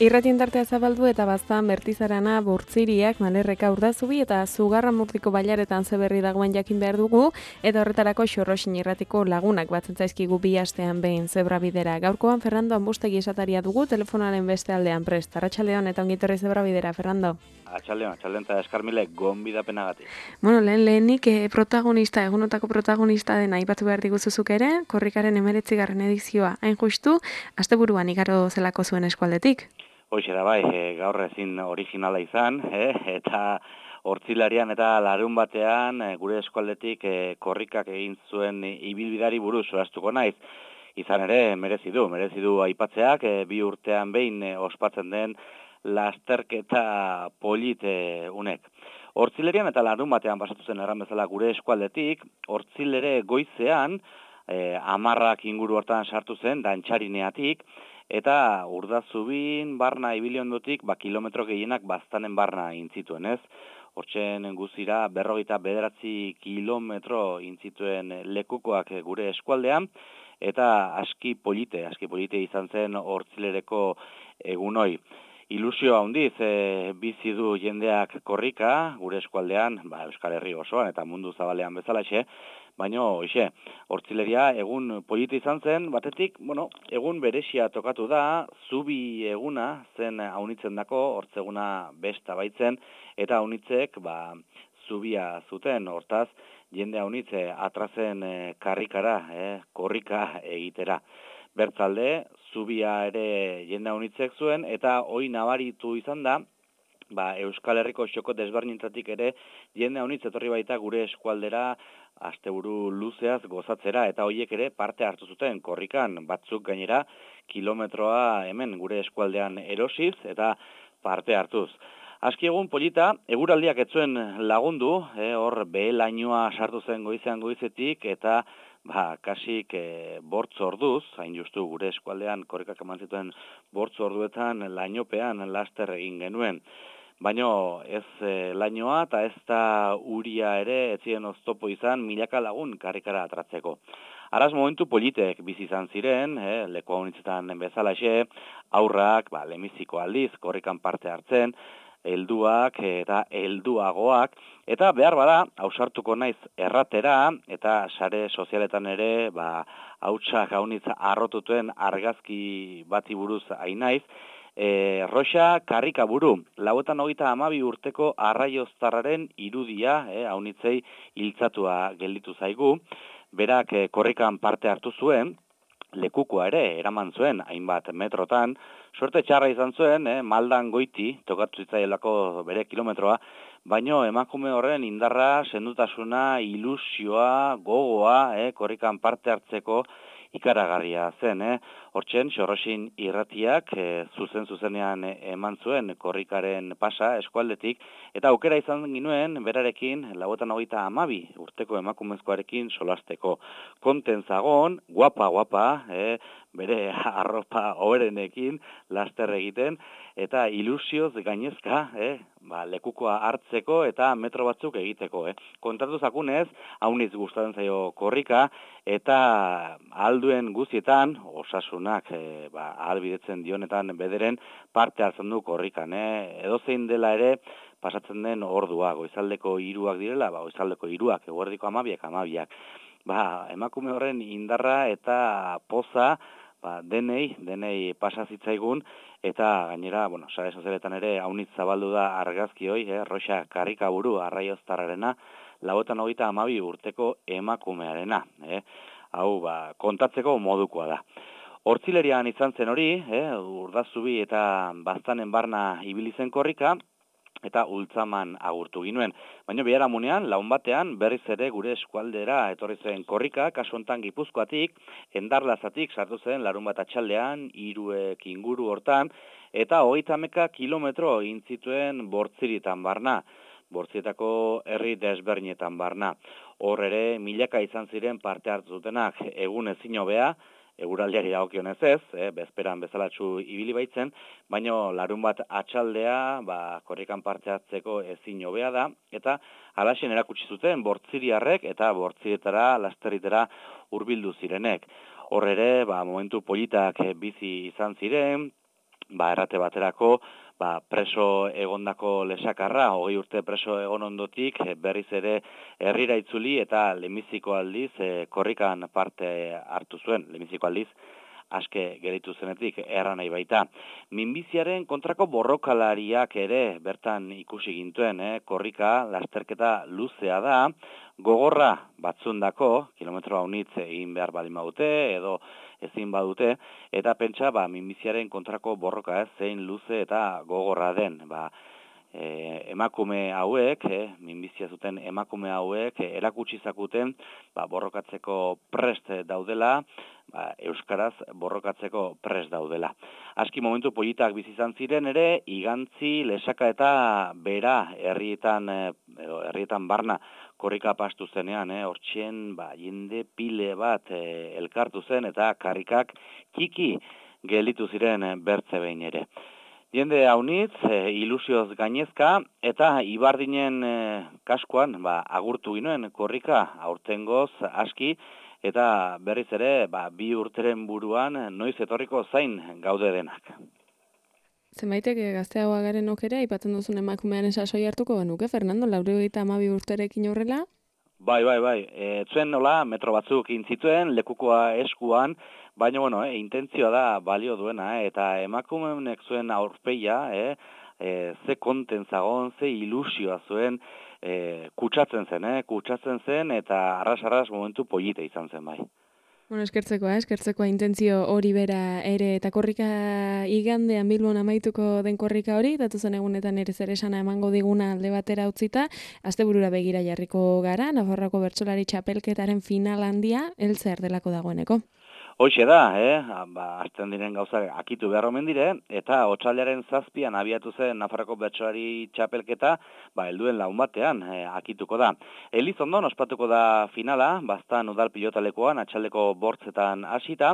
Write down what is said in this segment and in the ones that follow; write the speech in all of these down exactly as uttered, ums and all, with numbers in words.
Irratien tartea zabaldu eta baztan Bertizarana, Bortziriak, Malerreka, Urdazubi eta Zugarramurdiko bailaretan zeberri dagoen jakin behar dugu, eta horretarako Xorroxin irratiko lagunak batzen zaizkigu bi astean behin zebra bidera. Gaurkoan Fernando Ambustegi esataria dugu, telefonaren beste aldean prest. Arratsaldeon eta ongitorri zebra bidera, Fernando. Atxaldeon, atxaldeon eta eskarmile gonbidapenagatik. Bueno, lehen lehenik eh, protagonista, egunotako protagonista den aipatu behar diguzuzuk ere, korrikaren emeretzigarren edizioa hain justu, asteburuan igaro zelako zuen eskualdetik. Hoxe da bai, e, gaur ezin originala izan, e, eta hortzilarian eta larun batean e, gure eskualdetik e, korrikak egin zuen ibilbidari buruz solastuko naiz. Izan ere, merezi du, merezi du aipatzeak, e, bi urtean behin e, ospatzen den lasterketa polit e, unek. Hortzilerian eta larun batean pasatu zen erran bezala gure eskualdetik, hortzilere goizean, e, amarrak inguru hortan sartu zen, dantxarineatik, eta Urdazubin barna ibili ondotik, ba, kilometro gehienak baztanen barna intzituen, ez? Hortzen guzira berrogeita bederatzi kilometro intzituen lekukoak gure eskualdean, eta aski polite, aski polite izan zen hortzilereko egunoi. Ilusio handiz e, bizi du jendeak korrika, gure eskualdean, ba, Euskal Herri osoan eta mundu zabalean bezalaxe, baina, hoxe, hortzileria egun polita izan zen, batetik, bueno, egun beresia tokatu da, zubi eguna zen haunitzen dako, hortzeguna besta baitzen, eta haunitzek, ba, zubia zuten, hortaz, jende haunitze atrazen e, karrikara, e, korrika egitera. Bertzalde, zubia ere jende haunitzek zuen, eta hoi nabaritu izan da, ba, Euskal Herriko xoko desberdinetatik ere jende haunitz etorri baita gure eskualdera asteburu luzeaz gozatzera, eta hoiek ere parte hartu zuten korrikan, batzuk gainera kilometroa hemen gure eskualdean erosiz eta parte hartuz. Aski egun polita, eguraldiak etzuen lagundu, eh, hor behelainoa sartu zen goizean goizetik, eta ba, kasik e, bortz orduz, hain justu gure eskualdean korrikak eman zituen bortz orduetan lainopean laster egin genuen. Baina ez e, lainoa eta ez da uria ere ez ziren oztopo izan milaka lagun karrikara atratzeko. Araz momentu politek bizi izan ziren, eh, leku haunitzetan bezalaxe, aurrak, ba, lemiziko aldiz, korrikan parte hartzen, helduak eta helduagoak, eta behar bada, hausartuko naiz erratera, eta sare sozialetan ere, ba, hautsak haunitza arrotutuen argazki bati buruz hainaiz, e, Roxa karrika buru, lauetan hogeita hamabi urteko arraioztarraren irudia, eh, haunitzei hiltzatua gelditu zaigu, berak e, korrikan parte hartu zuen, lekukoa ere eraman zuen hainbat metrotan, suerte txarra izan zuen, eh, maldan goiti, tokatu zitzaielako bere kilometroa, baino emakume horren indarra, sendutasuna, ilusioa, gogoa, eh, korrikan parte hartzeko ikaragarria zen. Eh. Hortzen, Xorroxin irratiak eh, zuzen zuzenean eman zuen korrikaren pasa eskualdetik, eta aukera izan ginuen berarekin lauetan hogeita hamabi urteko emakumezkoarekin solasteko. Konten zagon, guapa, guapa, eh, bere arropa hoberenekin laster egiten, eta ilusioz gainezka, eh, ba, lekukoa hartzeko eta metro batzuk egiteko. Eh. Kontatu zakunez, hauniz gustatzen zaio korrika, eta alduen guztietan, osasunak e, ba, ahalbidetzen dionetan bederen parte hartzen du korrikan. Eh. Edozein dela ere, pasatzen den ordua, goizaldeko hiruak direla, ba, goizaldeko hiruak, eguerdiko amabiak, amabiak. Ba, emakume horren indarra eta poza, ba, denei, denei pasa zitzaigun, eta gainera, bueno, sare sozialetan ere haunitz zabaldu da argazki hoi, eh, Roxa karrika buru arraioztarrarena, lauetan hogeita hamabi urteko emakumearena, eh. Hau, ba, kontatzeko modukoa da. Hortzilerian izan zen hori, eh, Urdazubi eta baztanen barna ibili zen korrika, eta ultzaman agurtu ginuen. Baina biharamunean, laun batean, berriz ere gure eskualdera etorri zen korrika, kasu hontan Gipuzkoatik, Endarlazatik sartu zen larun bat atxaldean, hiruek inguru hortan, eta hogeita hamaika kilometro egin zituen Bortziritan barna, Bortzietako herri desberdinetan barna. Hor ere, milaka izan ziren parte hartu zutenak egun ezin hobea, eguraldiari dagokionez ez, eh, bezperan bezalatsu ibili baitzen, baino larun bat atxaldea, ba, korrikan parte hartzeko ezin hobea da, eta halaxen erakutsi zuten bortziriarrek eta bortzietara, lasterritera hurbildu zirenek. Hor ere, ba, momentu politak bizi izan ziren, ba, errate baterako, ba, preso egondako lesakarra, hogei urte preso egon ondotik, berriz ere herrira itzuli eta lehenbiziko aldiz e, korrikan parte hartu zuen, lehenbiziko aldiz aske geritu zenetik erra nahi baita. Minbiziaren kontrako borrokalariak ere bertan ikusi gintuen, eh? Korrika lasterketa luzea da, gogorra batzundako, kilometro haunitz egin behar baldin badute, edo ezin badute, eta pentsa ba, minbiziaren kontrako borroka ez, zein luze eta gogorra den. Ba, e, emakume hauek, eh, minbizia zuten emakume hauek, eh, erakutsi zakuten ba, borrokatzeko prest daudela, ba, euskaraz borrokatzeko prest daudela. Aski momentu politak bizi izan ziren ere, igantzi, lesaka eta bera herrietan, eh, edo herrietan barna korrika pastu zenean, eh, hortxen ba, jende pile bat eh, elkartu zen eta karrikak txiki gelitu ziren eh, bertze behin ere. Jende haunitz, e, ilusioz gainezka, eta Ibardinen e, kaskoan ba, agurtu ginoen korrika aurtengoz aski, eta berriz ere ba, bi urteren buruan noiz etorriko zain gaude denak. Zenbaitek gazteagoa garen okere, aipatzen duzun emakumearen sasoi hartuko genuke, Fernando, laurogeita hamabi urterekin horrela? Bai, bai, bai. E, zuen nola, metro batzuk intzituen, lekukoa eskuan, baina, bueno, e, intentzioa da balio duena, eh, eta emakumeenek zuen aurpeia, eh, e, ze konten zagon, ze ilusioa zuen, e, kutsatzen zen, eh, kutsatzen zen, eta arras-arras momentu polite izan zen, bai. Bueno, eskertzekoa, eskertzekoa intentzio hori bera ere, eta korrika igandean Bilbon amaituko den korrika hori, datuzen egunetan ere zer esana emango diguna alde batera utzita, asteburura begira jarriko gara, Nafarroako bertsolari txapelketaren final handia, heltzear delako dagoeneko. Hoxe da, eh? Ba, azten diren gauza akitu behar omen dire, eta otsailaren zazpian abiatu zen Nafarroko bertsolari txapelketa, ba, helduen laun batean eh, akituko da. Elizondon ospatuko da finala, baztan udal pilotalekoan, atxaldeko bortzetan hasita,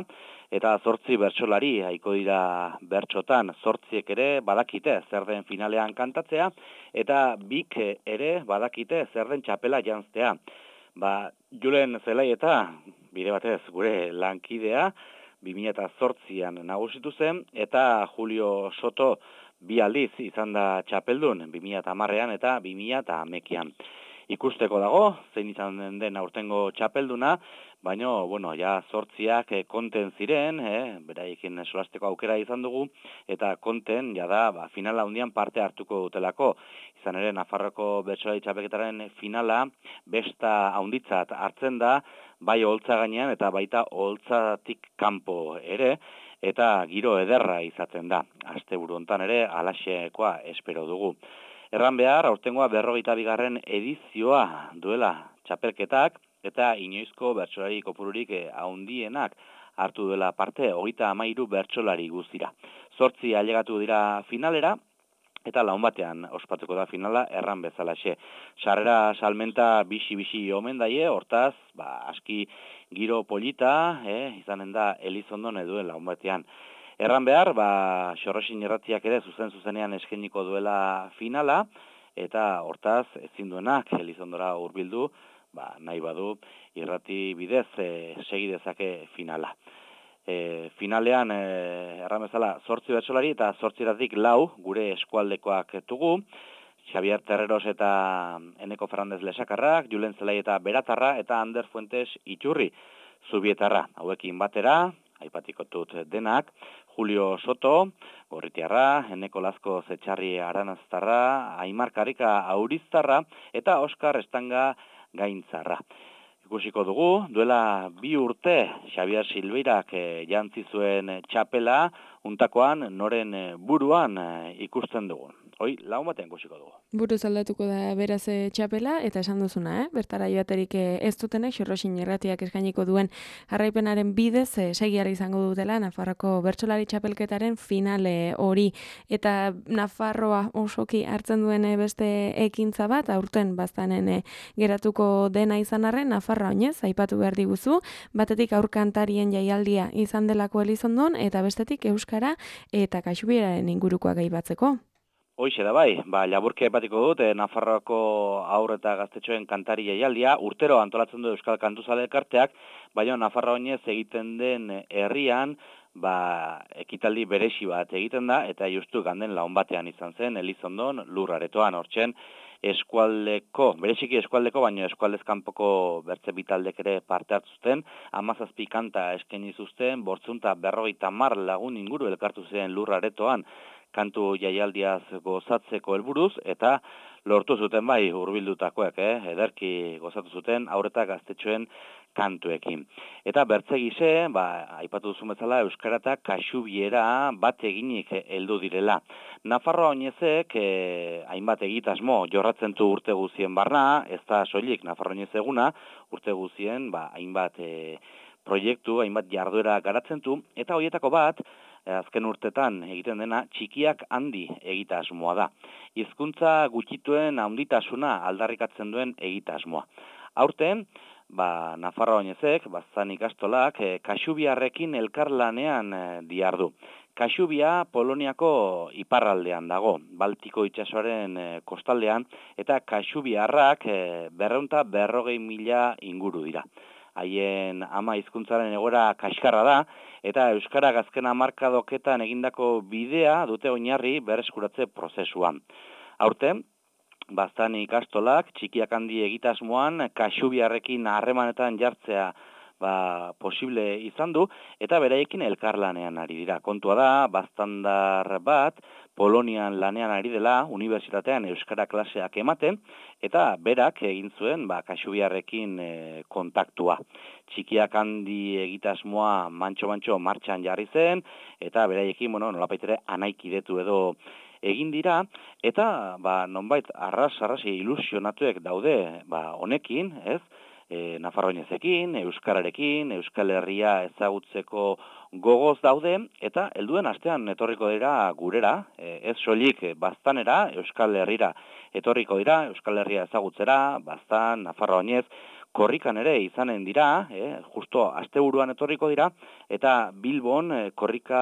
eta zortzi bertsolari haiko dira bertsotan, zortziek ere badakite zer den finalean kantatzea, eta bik ere badakite zer den txapela janztea. Ba, Julen Zelai eta bide batez gure lankidea bi mila zortzian nagusitu zen, eta Julio Soto bi aldiz izan da txapeldun, bi mila hamarrean eta bi mila hamarean. Ikusteko dago, zein izan den, den aurtengo txapelduna, baina, bueno, ja zortziak eh, konten ziren, eh, beraiekin solasteko aukera izan dugu, eta konten, ja da, ba, finala hundian parte hartuko dutelako. Izan ere, Nafarroko bertsolari txapelketaren finala, besta haunditzat hartzen da, bai oholtza gainean eta baita oholtzatik kanpo ere, eta giro ederra izaten da. Asteburu hontan ere, alaxekoa espero dugu. Erran behar, aurtengoa berrogeita bigarren edizioa duela txapelketak, eta inoizko bertsolari kopururik haundienak hartu duela parte, hogeita hamairu bertsolari guztira. Zortzi ailegatu dira finalera, eta laun batean ospatuko da finala erran bezalaxe. Sarrera salmenta bisi-bisi omen daie, hortaz, ba, aski giro polita, eh, izanen da Elizondon eduen laun batean. Erran behar, ba, Xorrosin irratiak ere zuzen-zuzenean eskeniko duela finala, eta hortaz, ezin duenak Elizondora hurbildu, ba, nahi badu, irrati bidez e, segi dezake finala. E, finalean, e, erran bezala, zortzi bertsolari eta zortziratik lau gure eskualdekoak dugu, Xavier Terreros eta Eneko Fernández Lesakarrak, Julen Zelai eta Beratarra, eta Ander Fuentes Itxurri Zubietarra. Hauekin batera, aipatiko dut denak, Julio Soto, Gorritiarra, Eneko Lazko Zetxarri Aranaztarra, Aimar Karika Auriztarra, eta Oskar Estanga Gaintzarra. Ikusiko dugu, duela bi urte Xavier Silveirak e, jantzi zuen txapela, untakoan noren buruan e, ikusten dugu. Hoi, laun batean ikusiko dugu. Buruz aldatuko da beraz txapela, eta esan duzuna, eh? Bertara joaterik ez dutenek, Xorrosin irratiak eskainiko duen jarraipenaren bidez, eh, segiara izango dutela Nafarroako bertsolari txapelketaren finale hori. Eta Nafarroa osoki hartzen duen beste ekintza bat, aurten baztanen eh, geratuko dena izan arren, Nafarroa oinez, aipatu behar diguzu, batetik aurkantarien jaialdia izan delako Elizondon, eta bestetik Euskara eta Kaxubieraren ingurukoa gaibatzeko. Hoixe da bai, ba, laburke epatiko dut, eh, Nafarroako aur eta gaztetxoen kantari jaialdia, urtero antolatzen du Euskal Kantuzale elkarteak, baina Nafarroa oinez egiten den herrian, ba, ekitaldi beresi bat egiten da, eta justu ganden laun batean izan zen, Elizondon, lur aretoan, hortzen, eskualdeko, bereziki eskualdeko, baina eskualdezkanpoko bertze bitaldek ere parte hartzuten, hamazazpi kanta eskaini zuzten, bortzunta berrogeita mar lagun inguru elkartu ziren lur aretoan, kantu jaialdiaz gozatzeko helburuz, eta lortu zuten bai hurbildutakoek, eh? ederki gozatu zuten, aurreta gaztetxoen kantuekin. Eta bertze gise, ba, aipatu duzu bezala, euskara eta kaxubiera bat eginik heldu direla. Nafarroa oinezek, eh, hainbat egitasmo jorratzen du urte guzien barna, ez da soilik Nafarroa oinez eguna, urte guzien, ba, hainbat eh, proiektu, hainbat jarduera garatzen du, eta horietako bat, azken urtetan egiten dena txikiak handi egitasmoa da. Hizkuntza gutxituen handitasuna aldarrikatzen duen egitasmoa. Aurten, ba, Nafarroa oinezek, bazan ikastolak, e, kaxubiarrekin elkarlanean e, diardu. Kaxubia Poloniako iparraldean dago, Baltiko itsasoaren e, kostaldean, eta kaxubiarrak e, berreunta berrogei mila inguru dira. Haien ama hizkuntzaren egoera kaskarra da, eta euskara azken hamarkadoketan egindako bidea dute oinarri berreskuratze prozesuan. Aurten, baztan ikastolak, txikiak handi egitasmoan, kaxubiarrekin harremanetan jartzea ba, posible izan du, eta beraiekin elkarlanean ari dira. Kontua da, baztandar bat, Polonian lanean ari dela, unibertsitatean euskara klaseak ematen, eta berak egin zuen ba, kaxubiarrekin e, kontaktua. Txikiak handi egitasmoa mantxo-mantxo martxan jarri zen, eta beraiekin, bueno, nolapaitere anaikidetu edo egin dira, eta ba, nonbait arras-arras ilusionatuek daude ba, honekin, ez? E, Nafarroa oinezekin, euskararekin, Euskal Herria ezagutzeko gogoz daude, eta helduen astean etorriko dira gurera, e, ez soilik baztanera, Euskal Herrira etorriko dira, Euskal Herria ezagutzera, baztan, Nafarroa oinez, korrikan ere izanen dira, eh, justo asteburuan etorriko dira, eta Bilbon eh, korrika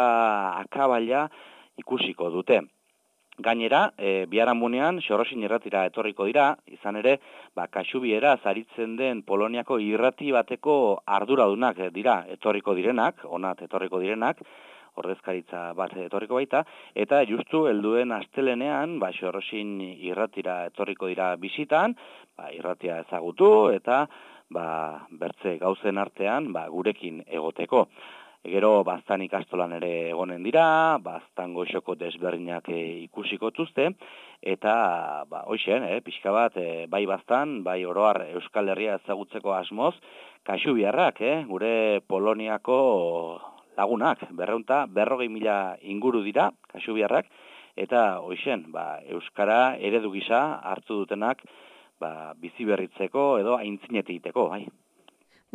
akabaila ikusiko dute. Gainera, e, biharamunean Xorrosin irratira etorriko dira, izan ere, ba, kaxubiera zaritzen den Poloniako irrati bateko arduradunak dira etorriko direnak, onat etorriko direnak, ordezkaritza bat etorriko baita, eta justu helduen astelenean, ba, Xorrosin irratira etorriko dira bisitan, ba, irratia ezagutu, eta ba, bertze gauzen artean ba, gurekin egoteko. Gero baztan ikastolan ere egonen dira, baztan goxoko desberdinak e, ikusiko tuzte, eta ba, hoxen, e, pixka bat, e, bai baztan, bai oroar Euskal Herria ezagutzeko asmoz, kaxubiarrak, e, gure Poloniako lagunak, berreunta, berrogei mila inguru dira, kaxubiarrak, eta hoxen, ba, Euskara eredu gisa hartu dutenak ba, bizi berritzeko edo aintzinetik egiteko, bai.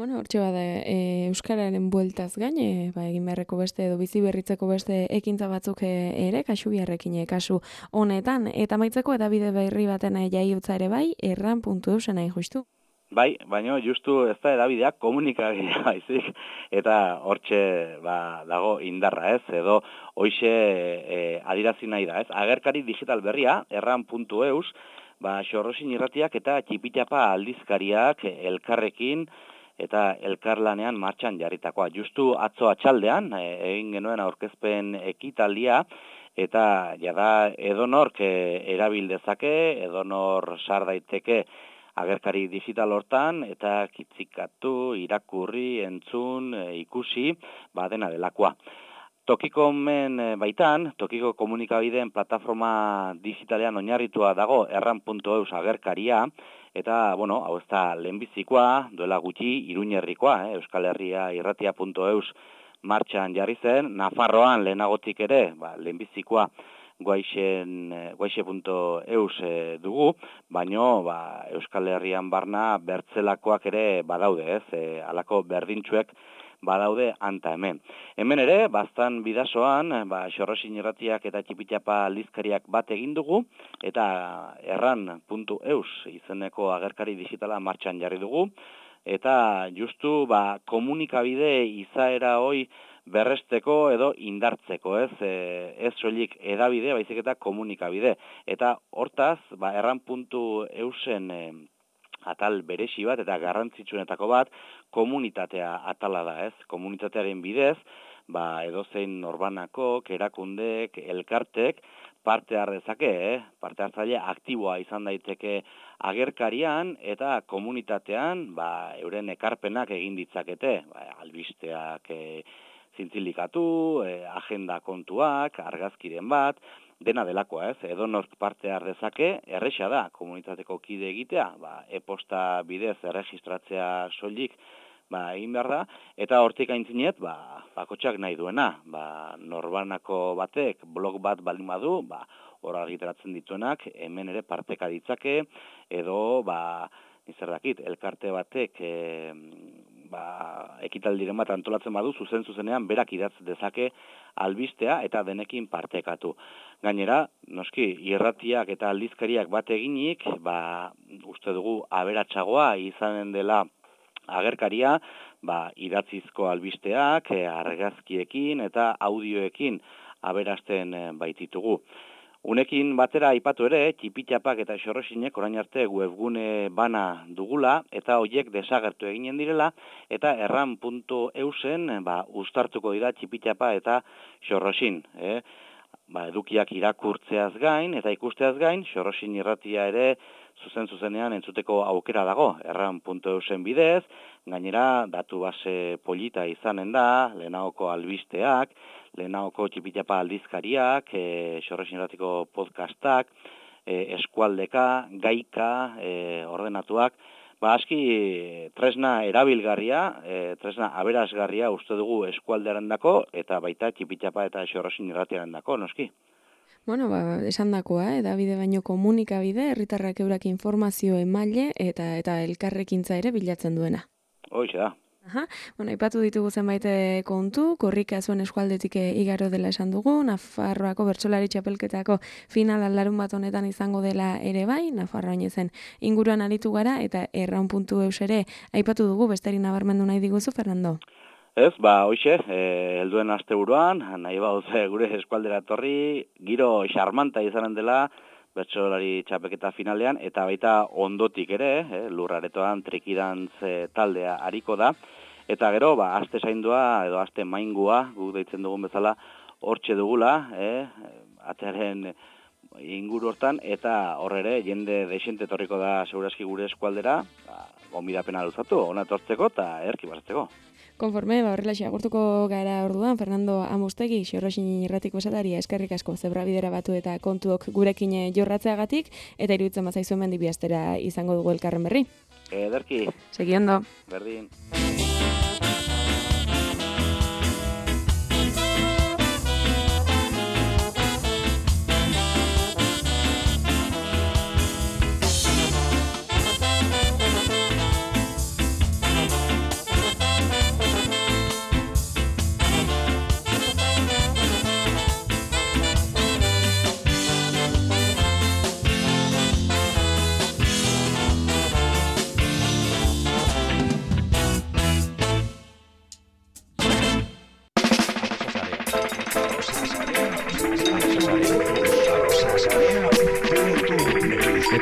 Bueno, hortxe bada, e, euskararen bueltaz gain, e, ba, egin beharreko beste edo bizi berritzeko beste ekintza batzuk ere, kaxubiarrekin e, kasu honetan, eta maitzeko edabide berri baten jaiotza ere bai, erran puntu eusen nahi justu. Bai, baina justu ez da edabideak komunikabidea baizik, eta hortxe ba, dago indarra ez, edo hoixe e, adirazi nahi da ez. Agerkari digital berria, erran puntu eus, ba, Xorrosin irratiak eta txipitapa aldizkariak elkarrekin, eta elkarlanean martxan jarritakoa. Justu atzo atxaldean, e, egin genuen aurkezpen ekitaldia, eta jada edonork e, erabil dezake, edonor sar daiteke agerkari digital hortan, eta kitzikatu, irakurri, entzun, e, ikusi, ba dena delakoa. Tokiko men baitan, tokiko komunikabideen plataforma digitalean oinarritua dago erran puntu eus agerkaria, eta, bueno, hau ez da lehenbizikoa, duela gutxi, Iruñerrikoa, eh, Euskal Herria irratia puntu eus martxan jarri zen, Nafarroan lehenagotik ere, ba, lehenbizikoa guaixe puntu eus e, dugu, baino ba, Euskal Herrian barna bertzelakoak ere badaude, ez, e, alako berdintxuek badaude anta hemen. Hemen ere, baztan bidasoan, ba, Xorrosin irratiak eta txipitxapa aldizkariak bat egin dugu, eta erran puntu eus izeneko agerkari digitala martxan jarri dugu, eta justu ba, komunikabide izaera hoi berresteko edo indartzeko, ez, e, ez soilik edabide, baizik eta komunikabide. Eta hortaz, ba, erran puntu eusen e, atal beresi bat eta garrantzitsuenetako bat komunitatea atala da, ez? Komunitatearen bidez, ba, edozein norbanako, erakundek, elkartek, parte har dezake, eh? parte hartzaile aktiboa izan daiteke agerkarian eta komunitatean ba, euren ekarpenak egin ditzakete, ba, albisteak e, zintzilikatu, e, agenda kontuak, argazkiren bat, dena delakoa ez, edonork parte har dezake, erresa da komunitateko kide egitea, ba, e-posta bidez erregistratzea soilik, ba, egin behar da, eta hortik aintzinet, ba, bakotxak nahi duena, ba, norbanako batek blog bat baldin badu, ba, hor argitaratzen dituenak, hemen ere parteka ditzake, edo, ba, nizer dakit, elkarte batek, e, ba, ekitaldiren bat antolatzen badu, zuzen zuzenean berak idatz dezake albistea eta denekin partekatu. Gainera, noski, irratiak eta aldizkariak bat eginik, ba, uste dugu aberatsagoa izanen dela agerkaria, ba, idatzizko albisteak, argazkiekin eta audioekin aberasten baititugu. Unekin batera aipatu ere, txipitxapak eta xorrosinek orain arte webgune bana dugula, eta hoiek desagertu eginen direla, eta erran puntu eusen ba, uztartuko dira txipitxapa eta xorrosin. Eh? Ba, edukiak irakurtzeaz gain, eta ikusteaz gain, xorrosin irratia ere zuzen-zuzenean entzuteko aukera dago, erran puntu eusen bidez, gainera datu base polita izanen da, lehenagoko albisteak, lehenagoko txipitxapa aldizkariak, e, xorrosin irratiko podcastak, e, eskualdeka, gaika, e, ordenatuak, ba, aski tresna erabilgarria, e, tresna aberasgarria uste dugu eskualdearendako eta baita txipitxapa eta xorrosin irratiarendako, noski. Bueno, ba, esan dakoa, edabide baino komunikabide, herritarrak eurak informazio emaile eta eta elkarrekintza ere bilatzen duena. Hoxe da. Aha, bueno, aipatu ditugu zenbait kontu, korrika zuen eskualdetik igaro dela esan dugu, Nafarroako bertsolari txapelketako finala larun bat honetan izango dela ere bai, Nafarroa zen inguruan aritu gara, eta erraun puntu eus ere aipatu dugu, besteri nabarmendu nahi diguzu, Fernando? Ez, ba, hoxe, e, helduen asteburuan, nahi bauz gure eskualdera etorri, giro xarmanta izanen dela, bertsolari txapelketa finalean, eta baita ondotik ere, eh, lurraretoan trikidantz e, taldea hariko da, eta gero, ba, aste zaindua, edo aste maingua, guk deitzen dugun bezala, hortxe dugula, eh, atearen inguru hortan, eta horre jende desente etorriko da segurazki gure eskualdera, ba, gonbidapena luzatu, ona etortzeko eta erki basatzeko. Konforme, ba, horrelaxe agurtuko gara orduan, Fernando Amustegi, xorrosin irratiko esataria, eskerrik asko zebrabidera batu eta kontuok gurekin jorratzeagatik, eta iruditzen bazaizu hemen dibiastera izango dugu elkarren berri. Ederki. Segi ondo. Berdin.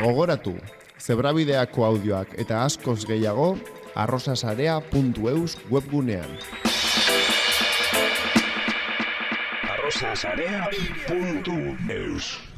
Gogoratu, zebrabideako audioak eta askoz gehiago arrosasarea puntu eus webgunean. arrosasarea puntu eus